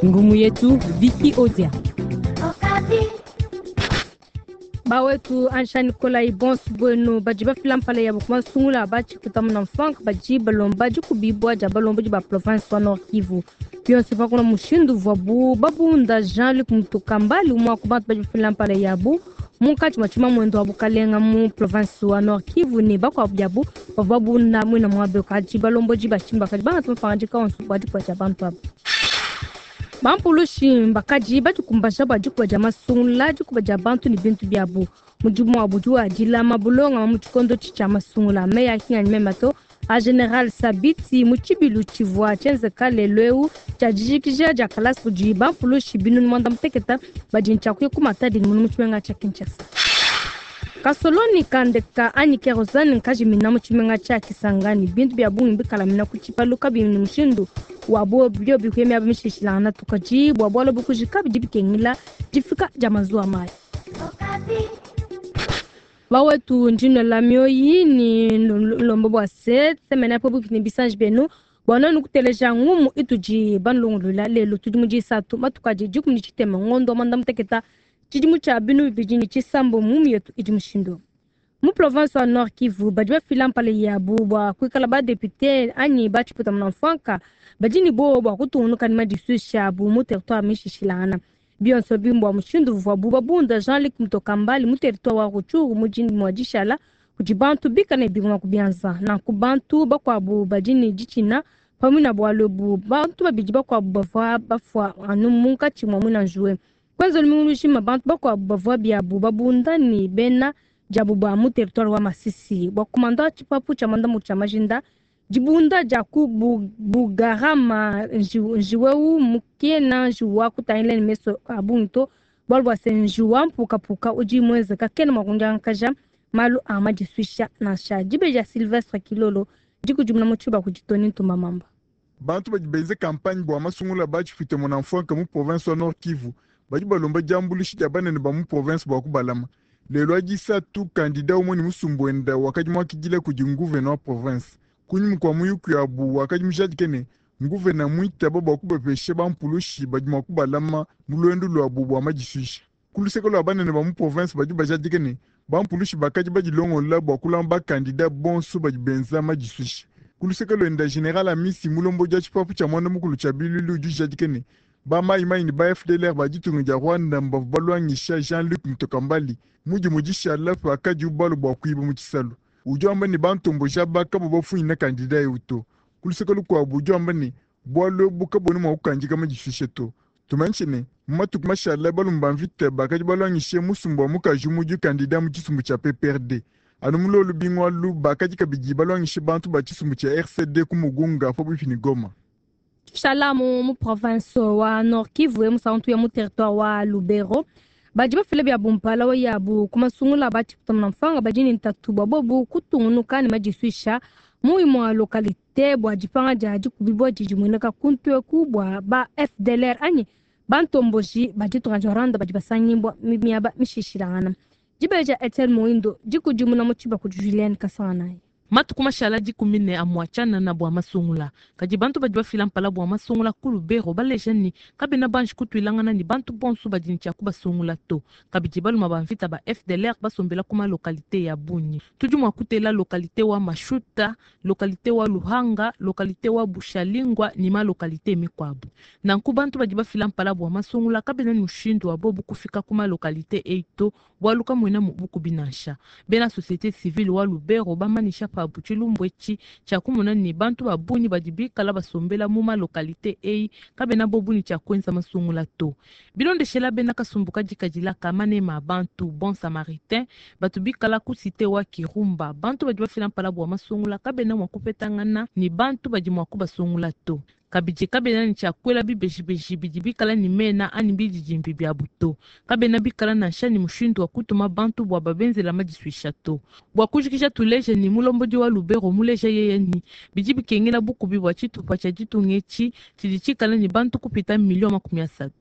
Ngumu yetu Vicky Odia. Bawetu ansha Nikolai bonso bwenu badi bafila mpala yabo ku masungula batshikutamuna mfanka badi balomba dikubibua dia balombodi ba province wa Nord Kivu. Bionso pakuna mushindu uvuabu babunda Jean-Luc Mutokambali umue wa ku bantu badi bafila mpala yabu munkatshi mua tshimamuende wa bukalenga mu province wa Nord Kivu ne bakuabu biabu bavua babunda muina muabe kadi balombodi ba tshimba kadi bangata mapangadika onso bua dikuba dia bantu aba. Bampulushi bakadi badikumbaja bua dikuba dia masungula, dikuba dia bantu ne bintu biabu. Mudimu wabu udi wa dilama bulongama mu tshikondo tshia masungula. Meyi a kinganyi mema to a General Sabiti mu tshibilu tshivua tshienzeka lelu eu tshia dijikija dia kalasa kudi bampulushi binunu muanda muteketa badi ne tshia kuya ku Matadi ne mu tshimenga tshia Kinshasa. Kasoloni kandeka anyi kerosene nkajimina mu tshimenga tshia Kisangani. Bintu bia bungi bikalamina ku tshipalu kabiyi ne mushindu wa biobi kuya miaba mishilashilangana to. Kadi bua bualu ebu kujika bidi bikengela difika dia mazuwa mayi. Bawetu ndi nnuela mioyi ne nlomba bua se semena pabuipi ne bisanji bienu bua nuenu kuteleja ngumu itudi banulongoluela lelu. Tudi mu disatu matuku adi 13 ngondo wa muanda muteketa tshidimu tshia 2006. Ngumu yetu idi mushindu mu province wa Nord Kivu badi bafila mpala yabu bua kuikala ba député anyi ba tshiputamuna mfanka badi ne buowa bua kutungunuka ne madisuisha abu mu territoire mishishilangana. Bionso bimbua mushindu uvuabu babunda Jean-Luc Mutokambali mu territoire wa Rutshuru mu mua dishala kudi bantu bikale ne bingoma ku bianza. Nanku bantu bakuabu badi ne ditshina pamue na bualu ebu. Bantu babidi bakuabu bavua bafua anu munkatshi mua muina njuwe. Kwenza lumingu lujima bantu bakuabu bavua biabu babunda ne bena diabu ba mu territoire wa Masisi bua kumanda tshipapu tshia mandamu tshia majinda dibunda dia ku Bugarama njiweu mukena njiwa kutangila ne meso a bungi to bualu bua se njiwa mpukapuka udi muenzeka kena mua kundiangakaja malu a madisuisha nansha. Dibe dia Sylvestre Kilolo dikudimuna mu tshiba kudi Tony Ntumba Mamba. Bantu badi benze campagne bua masungula batshipite munamfwanka mu province wa Nord Kivu badi balomba diambuluisha dia banene ba mu province bua kubalama. Lelo adisatu candidat umue ne musumbu wenda wakadi muakidila kudi nguvena wa province. Kunyima kua muyuki wabu wakadi mujadike ne nguvena muitaba bua kubapesha bampulushi badi mua kubalama mu luendu luabu bua madisuisha. Ku luseke lua banene ba mu province badi bajadike ne bampulushi bakadi badilongola bua kulama bakandida bonso badi benza madisuisha. Ku luseke luenda General Amisi mulombodi wa tshipapu tshia muanda mukulu tshia bilulu udi ujadike ne ba mayimayi ne ba FDLR ba ditunga dia Rwanda mbavua balwangisha Jean-Luc Mutokambali mudimu dishala pakadi ubalu bua kuiba mu tshisalu. Udi wamba ne bantomboja bakabo bafunyina kandida eu to. Ku luseke lukuabu udi wamba ne bualu ebu kabuena mua kukandika madisuisha to. Tumanyishe ne mu matuku mashala balume ba mvita bakadi balwangishe musumba wa mukaji umue kandida mu tshisumbu tshia PPRD. Anu mu lolu bingwalu bakadi kabidi balwangishe bantu ba tshisumbu tshia RCD ku Mugunga pabuipi ne Goma. Tushala mu province wa Nord Kivu musantu ya mu territoire wa Lubero badi bafila bia bumpala wa yabu ku masungula batshikutamuna mfanga badi ne ntatu bua bobu kutungunuka ne madisuisha mu imue localité bua dipanga dia dikubibua didi mueneka kuntu eku bua ba FDLR anyi bantomboji ba ditunga dia Rwanda badi basangibua miaba mishishilangana. Dibeja dia Etienne Moindo dikudimuna mu tshiba kudi Julienne Kasanganayi. Matuku mashala 14 amua tshianana bua masungula kadi bantu badi bafila mpala bua masungula ku Lubero baleja ne kabena banji kutuilangana ne bantu bonso badi ne tshia kubasungula to. Kabidi baluma ba mvita ba FDLR basombela ku malocalité ya bungi. Tudi mua kutela localité wa Mashuta, localité wa Luhanga, localité wa Bushalingwa ne malocalité mikuabu. Nanku bantu badi bafila mpala bua masungula kabena ne mushindu wa bobu kufika ku malocalité eyi to bualu kamuena mu bukubi nansha. Bena société civile wa Lubero bamanisha pabu tshilumbu etshi tshia kumona ne bantu ba bungi badi bikala basombela mu malocalité eyi kabena bobu ne tshia kuenza masungula to. Bilondeshela bena kasumbu kadikadila ka manema a bantu bon samaritain batu bikala ku cité wa Kirumba bantu badi bafila mpala bua masungula kabena mua kupetangana ne bantu badi mua kubasungula to. Kabidi kabena ne tshia kuela bibejibeji bidi bikala ne mena anyi bididimbi biabu to. Kabena bikala nansha ne mushindu wa kutuma bantu bua babenzela madisuisha to. Bua kujikija tuleje ne mulombodi wa Lubero muleja yeye ni bidi bikengela bukubi bua tshitupa tshia ditunga etshi tshidi tshikala ne bantu kupita 30 millions.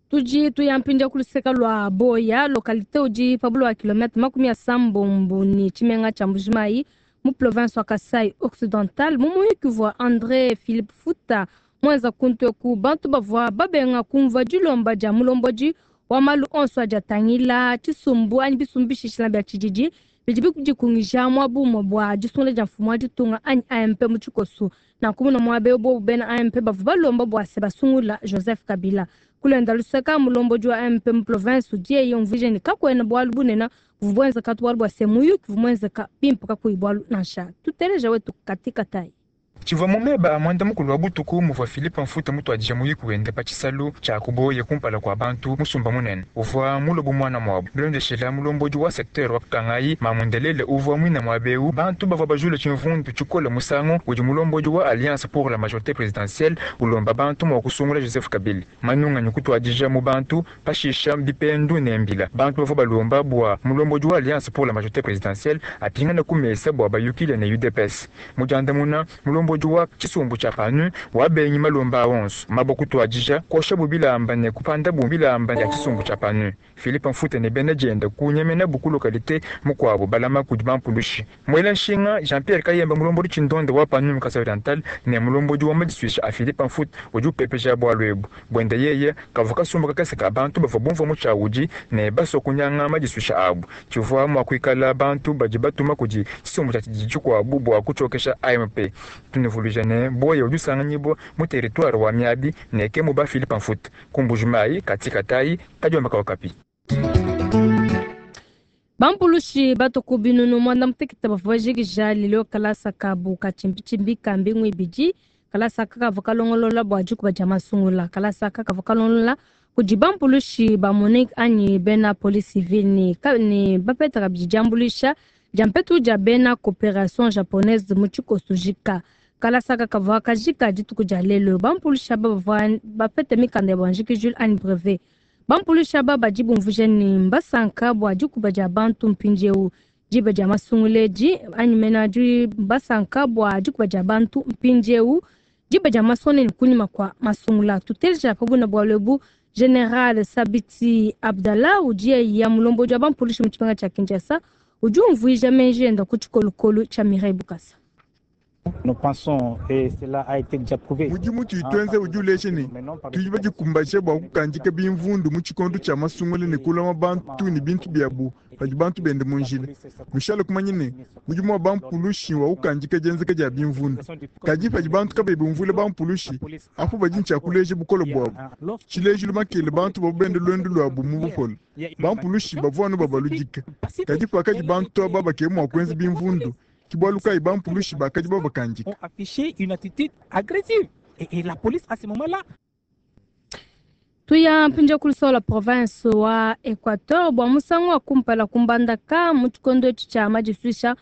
Tudi tuyampindia ku luseke lua Boya localité udi pabulu wa kilomètre 80 ne tshimenga tshia Mbujimayi mu province wa Kasai Occidental. Mu muyuki uvua André Philippe Futa muenza kuntu eku. Bantu bavua babenga kumvua dilomba dia mulombodi wa malu onso adi atangila tshisumbu anyi bisumbu bishishila bia tshididi bidi bidikungija muaba umue bua disungula dia mfumu wa ditunga anyi AMP mu tshikoso. Nanku muna muaba eu bobu bena AMP bavua balomba bua se basungula Joseph Kabila. Kulenda luseka mulombodi wa AMP mu province udi yeye umvuija ne kakuena bualu bunene buvua buenzeka to, bualu bua se muyuki uvua muenzeka bimpe kakuyi bualu nansha. Tuteleja wetu Katika Tai. Tshivua mu meba a muanda-mukulu wa butuku muvua Philippe Mfuta mutuadije muyuki wende pa tshisalu tshia ku Buoya kumpala kua bantu musumba munene uvua mulue bu muana muabu. Bilondeshila mulombodi wa secteur wa Kangayi, Mamu Ndelele uvua muine muaba eu, bantu bavua bajule tshimvundu tshikole musangu udi mulombodi wa Alliance pour la majorite presidentielle ulomba bantu mua kusungula Joseph Kabila. Manunganyi kutuadija mu bantu, pashisha bipendu ne mbila. Bantu bavua balomba bua mulombodi wa Alliance pour la majorite presidentielle apingane ku mesa bua bayukile ne UDPS. Mu diandamuna, mulombodi wa tshisumbu tshia PANU wabengi malomba a onso. Mabua kutuadija kuoshabu bilamba ne kupandabu bilamba bia tshisumbu tshia PANU. Philippe Mfuta ne bena dienda kunyemenabu ku localite mukuabu balama kudi bampulushi. Muela nshinga Jean-Pierre Kayemba mulombodi tshindonda wa PANU mu Kasai Oriental ne mulombodi wa madisuisha a Philippe Mfuta udi upepeja bualu ebu. Buenda yeye kavua kasumbu kakese ka bantu bavua bumvua mutshiawudi ne basua kunyanga madisuisha abu. Tshivua mua kuikala bantu badi batuma kudi tshisumbu tshia tshididi tshikuabu bua kutshiokesha AMP. Tunuvuluija ne Buoya udi usanganyibua mu territoire wa Miabi ne ke muba Philippe Mfuta ku Mbuji-Mayi Katika Tai kadiomba ka Okapi. Bampulushi batua ku binunu muanda mutekete bavua bajikija lelo kalasa kabu ka tshimbitshimbi ka mbingu ibidi. Kalasa aka kavua kalongolola bua dikuba dia masungula. Kalasa aka kavua kalongolola kudi bampulushi ba MONUC anyi bena police civile ne, ne bapeta kabidi diambuluisha dia mpetu dia bena coopération japonaise mu tshikoso jika. Kalasa aka kavua kajika dituku dia lelo. Bampulushi aba bavua bapeta mikanda ya buanjikijulu anyi brevet. Bampulushi aba badi bumvuija ne mbasanka bua dikuba dia bantu mpindieu diba dia masungula edi anyi mena di basanka bua dikuba dia bantu mpindieu diba dia masungula ne kunyima kua masungula. Tuteleja pa buna bualu ebu General Sabiti Abdallah udi ya mulombodi wa bampulushi mu tshimenga tshia Kinshasa udi umvuija meji enda ku tshikolokolo tshia Mireille Bukasa. Nous pensons, et cela a été déjà prouvé. Mudimu tudi tuenza udi uleja ne tudi badikumbaje bua kukandika bimvundu mu tshikondo tshia masungula ne kulama bantu ne bintu biabu padi bantu bende mu njila. Nushale kumanya ne mudimu wa bampulushi wa kukandika dienzeka dia bimvundu. Kadi padi bantu kabayi bumvuila bampulushi, apo badi ne tshia kuleja bukole buabu. Tshilejilu makele bantu bavua bende luendu luabu mu bupole. Bampulushi bavua anu babaludika. Kadi pakadi bantu aba bakeba mua kuenza bimvundu, ke bualu kayi bampulushi bakadi babakandika. Ont affiché une attitude agressive. Et la police, à ce moment-là, Tuya mpindieu ku lusolo province wa Equateur bua musangu wa kumpala kumbandaka mu tshikondo etshi tshia madisuisha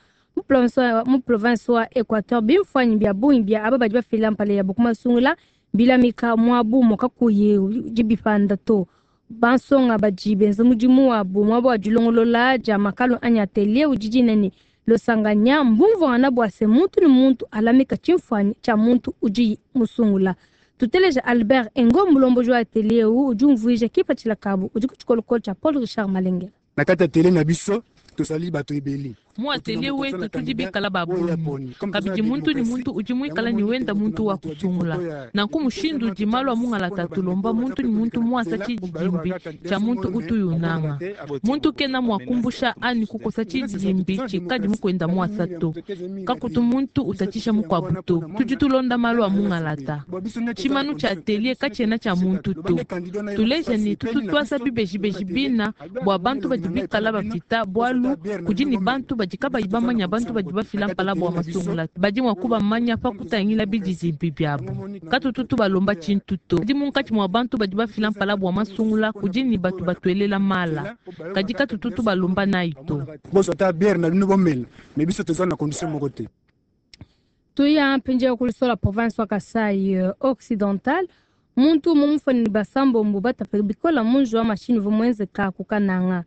mu province wa Equateur bimfuanyi bia bungi bia aba badi bafila mpala yabo ku masungula bilamika muabu mukakuyi dibipanda to. Bansonga badi benza mudimu wabu muaba wa dilongolola dia makalu anyi atelier udi dina ne losanganya mbumvuangana bua se muntu ne muntu alamika tshimfuanyi tshia muntu udi musungula. Tuteleja Albert Engo mulomboji wa atelier udi umvuija kipatshila kabu udi ku tshikolokolo tshia Paul Richard Malengela. Na kati ya atelier na biso tozali bato ebele. Mu atelier wetu tudi bikala ba bungi kabidi muntu ni muntu udi muikala ni wenda muntu wa kusungula. Nanku mushindu udi malu a mungalata tulomba muntu ni muntu muasa tshidimbi tshia muntu utuyunanga. Muntu kena mua kumbusha ani kukosa tshidimbi tshikadi mukwenda muasa to. Kakutu muntu utatshisha mukuabu to. Tudi tulonda malu a mungalata. Tshimanu tshia atelier katshiena tshia muntu to. Tuleja ni tutu tuasa bibejibeji bina bua bantu badi bikala bapita bualu kudi ni bantu badi kabayi bamanya bantu badi bafila mpala bua masungula badi mua kubamanya pa kutangila bididimbi biabu. Katutu tubalomba tshintu to. Kadi munkatshi mua bantu badi bafila mpala bua masungula kudi ni batu batuelela mala. Kadi katutu tubalomba nayi to. Boso ata bière na bino bomela, mais biso toza na condition moko te. Tuya mpindieu ku lusola province wa Kasai Occidental. Muntu mumufani basambombo batape bikola munju wa mashini uvua muenzeka ku Kananga.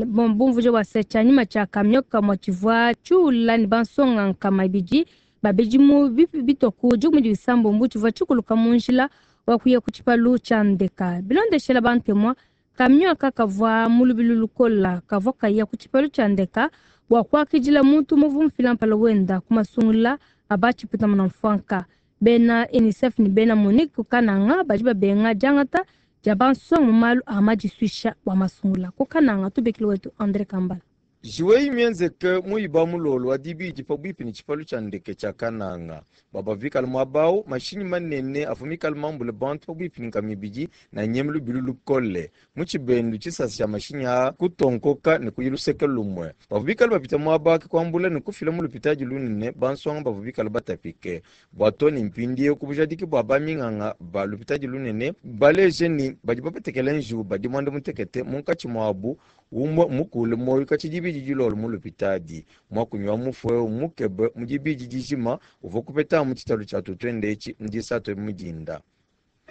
Bumvuija bua se tshianyima tshia kamio kamue tshivua tshiula ne bansonga nkama ibidi babidi mu bitua ku dikumi ne bisambombo tshivua tshikuluka mu njila wa kuya ku tshipalu tshia ndeka. Bilondeshela bantemwa kamio aka kavua mu lubilu lukola kavua kaya ku tshipalu tshia ndeka bua kuakidila muntu muvua mufila mpala wenda ku masungula aba tshipeta muna mfuanka. Bena UNICEF ne bena MONUC ku Kananga badi babenga diangata dia bansonga mu malu a madisuisha bua masungula. Ku Kananga, tubikile wetu Andre Kambala. Njiwu eyi mmienzeke mu Iba mulolo wa Dibidi pabuipi ne tshipalu tshia ndeke tshia Kananga. Bua bavua bikale muaba au, mashinyi manene avua mikale mambule bantu pabuipi ne nkama ibidi ne anyeme lubilu lukole. Mu tshibendu, tshisasa tshia mashinyi aa kutonkoka ne kuya luseke lumue. Bavua bikale bapita muaba au ke kuambula ne kufila mu lupitadi lunene bansonga bavua bikale batapike. Bua too ne mpindieu, ku bujadiki bua baminganga ba lupitadi lunene baleje ne, badi bapatekela njiwu badi muanda-mutekete munkatshi muabu Umue mmukuule muoyo katshia dibidi dilolo mu lupitadi. Muakunyi wa mufue eu mmukebe mu dibidi dijima, uvua kupetamu tshitalu tshia tutuende etshi mu disatu mu dinda.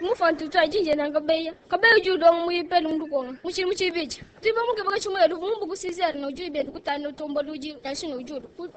Mufua ntutu adi njena nkabeya kabeya udi ulonga mu ipele mu lukonga mu tshidimu tshibidi tudi bamukeba katshimue mumbu ku 6 heures no udi bende kutanu tombola udi nashi no udi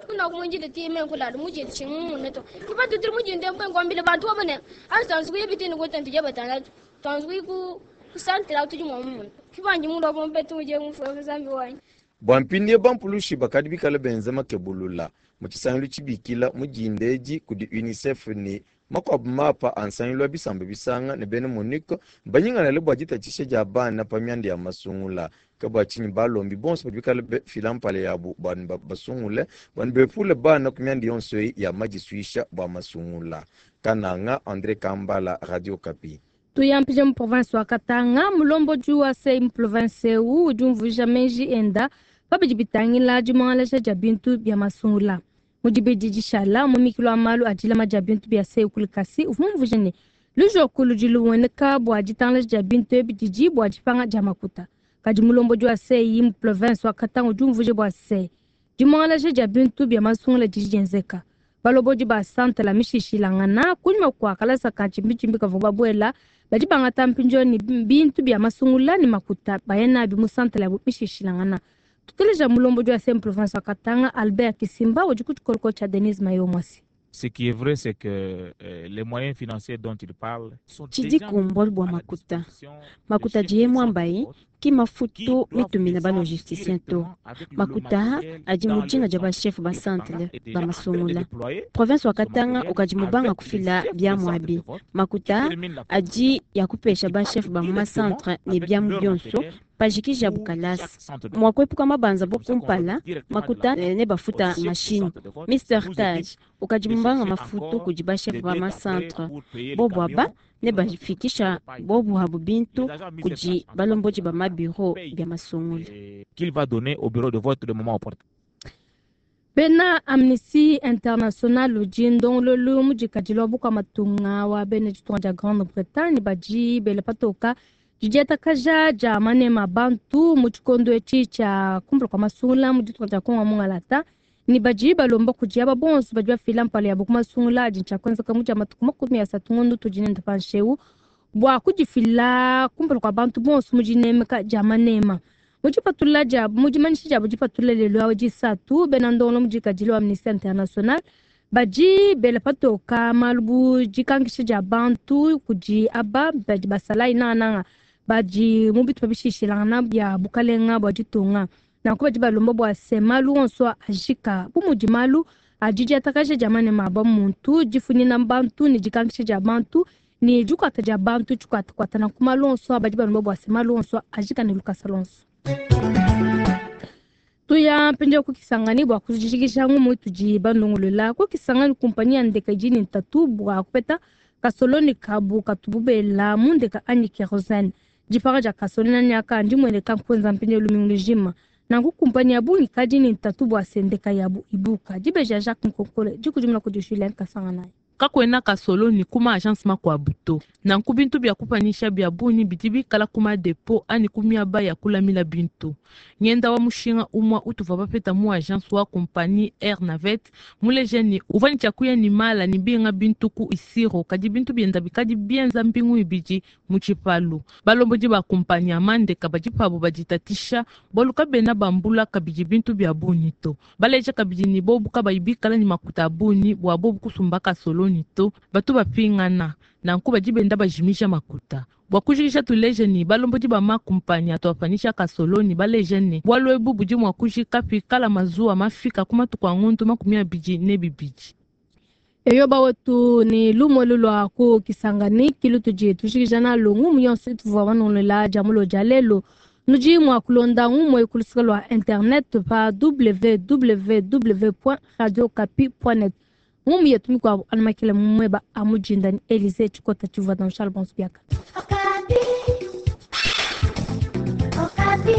kuna kumwinjile time nkulala mujile chimune to kipa tutiri mujinde mbe ngwambile bantu wabone asanzu kuyibitini kutantu jabatandatu tanzu ku kusantira tudi muamune kibanji mundu wakumpetu uje mufua muzambi wanyi. Bua mpindieu bampulushi bakadi bikale benza makebulula mu tshisangilu tshibikila mu dinda edi kudi UNICEF ne makuabu mapa a nsangilu wa bisamba bisanga ne bena MONUC mbanyingalale bua ditatshisha dia bana pa mianda ya masungula. Ke bua tshinyi balombi bonso badi bikale bafila mpala yabu bua basungule bua bepule bana ku mianda yonso eyi ya madisuisha bua masungula. Kananga, Andre Kambala, Radio Okapi. Tuyampije mu province wa Katanga, mulombodi wa sei mu province eu udi umvuija meji enda pa bidi bitangila dimuangalaja dia bintu bia masungula. Mu dibidi dishala mu mikilo wa malu a dilama dia bintu bia sei ku Likasi uvua mumvuije ne lujoku ludi lumueneka bua ditangalaja dia bintu ebi didi bua dipanga dia makuta. Kadi mulombodi wa sei mu province wa Katanga udi umvuija bua se dimuangalaja dia bintu bia masungula didi dienzeka. Balobodi ba santala mishishilangana kunyima kua kalasa ka tshimbitshimbi kavua babuela badi bangata mpindieu ne bintu bia masungula ne makuta baya nabi mu santala yabu mishishilangana. Tuteleja mulombodi wa sem province wa Katanga Albert Kisimba udi ku tshikoloko tshia Denise Mayo Mwasi. Ce qui est vrai, c'est que les moyens financiers dont il parle sont Tshidi déjà kumbualu bua à la makuta. disposition des Makuta chefs diye de centre mwambayi de vote ki mafutu qui doivent mitumina ba descendre logisticien to. directement avec le Makuta matériel adi dans mu dina leur dia ba centre. chef ba Et Katanga centre est ba déjà en train de masungula. déployer Province wa ce Katanga matériel ukadi mubanga avec les kufila chefs de biamu centre de abi. vote qui Makuta terminent la adi ya kupesha qui ba partent chef ba mu directement macentre ne avec biamu leur bionso matériel pajikija pour bukalasa. chaque centre de Mua vote. kuepuka mabanza C'est bo comme ça qu'on kumpala va directement de la makuta main ne au bafuta chef de machine. centre de vote Mr nous Taj évite ukadi de mubanga chercher mafutu encore kudi ba chef des ba dettes après macentre. pour payer les Bobo aba camions ne qui nous ont bafikisha paye. bobu habu bintu Les agents mis sur place kudi en balombodi ba mabiro paye bia masungula. et qu'il va donner au bureau de vote le moment opportun. Bena Amnesty International udi ndongololu mudikadile wa bukua matunga wa bena ditunga dia Grande-Bretagne badi bela patoka didiatakaja dia manema a bantu mu tshikondo etshi tshia kumpala kua masungula mu ditunga dia Kongo mungalata ne badi balomba kudi aba bonso badi bafila mpala yabo ku masungula adi tshia kuenzeka mu dia matuku 30 ngondo tudi nende panshi eu bua kudifila kumpala kua bantu bonso mu dinemeka dia manema. Mu dipatula dia mu dimanyisha diabo dipatula lelu awo disatu bena ndongolo mudikadile wa Amnesty International badi bela patoka malu bu dikankisha dia bantu kudi aba badi basalayi nangananga badi mu bitupa bishishilangana bia bukalenga bua ditunga. Nanku badi balomba bua se malu onso ajika bu mudi malu adi diatakaja dia manema a muntu difunyina bantu ne dikankisha dia bantu ne dikuata dia bantu tshikuatakuata. Nanku malu onso badi balomba bua se malu onso ajika ne lukasa lonso. Tuya mpindieu ku Kisangani bua kujikija ngumu itudi bandongolola ku Kisangani kumpanyi ya ndeka idi ne ntatu bua kupeta kasoloni kabu katubu bela mu ndeka anyi kerosene. Dipanga dia kasoloni anyi aka ndimueneka nkuenza mpindieu lumingu lujima. Nanku kumpanyi ya bungi kadi ne ntatu bua se ndeka yabu ibuka. Dibeja Jacques Nkonkole dikudimuna kudi Julien Kasanganayi. Kakuena kasoloni kuma agence makuabu to. Nanku bintu bia kupanyisha bia bungi bidi bikala kuma depo anyi ku miaba ya kulamila bintu. Ngenda wa mushinga umua utuvua bapeta mu agence wa compagnie Air Navette muleje ni uvua ne tshiakuya ni mala ni binga bintu ku Isiro kadi bintu bienda bikadi bienza mbingu ibidi mu tshipalu. Balombodi ba compagnie ya mandeka badi pabu baditatisha bualu kabena bambula kabidi bintu bia bungi to. Baleja kabidi ni bobu kabayi bikala ni makuta a bungi bua bobu kusumba kasoloni to batu bapingana nanku badi benda bajimisha makuta. Bua kujikija tuleje ni balombodi ba makumpanya atuapanyisha kasoloni baleje ni bualu ebu budi mua kujika pikala mazuwa mafika ku matuku a ngondu 22. Eyo bawetu ni lumue lulua ku Kisangani kilu tudi tujikija nalu ngumu yonso ituvua banungulula dia mulo dia lelu. Nudi mua kulonda ngumu eyi ku luseke lua internet pa www.radiokapi.net. Ngumu yetu mikuabu anu makele mu mueba a mujinda ni Elise Tshikota tshivua na Charles Bonso biaka. Okapi. Okapi.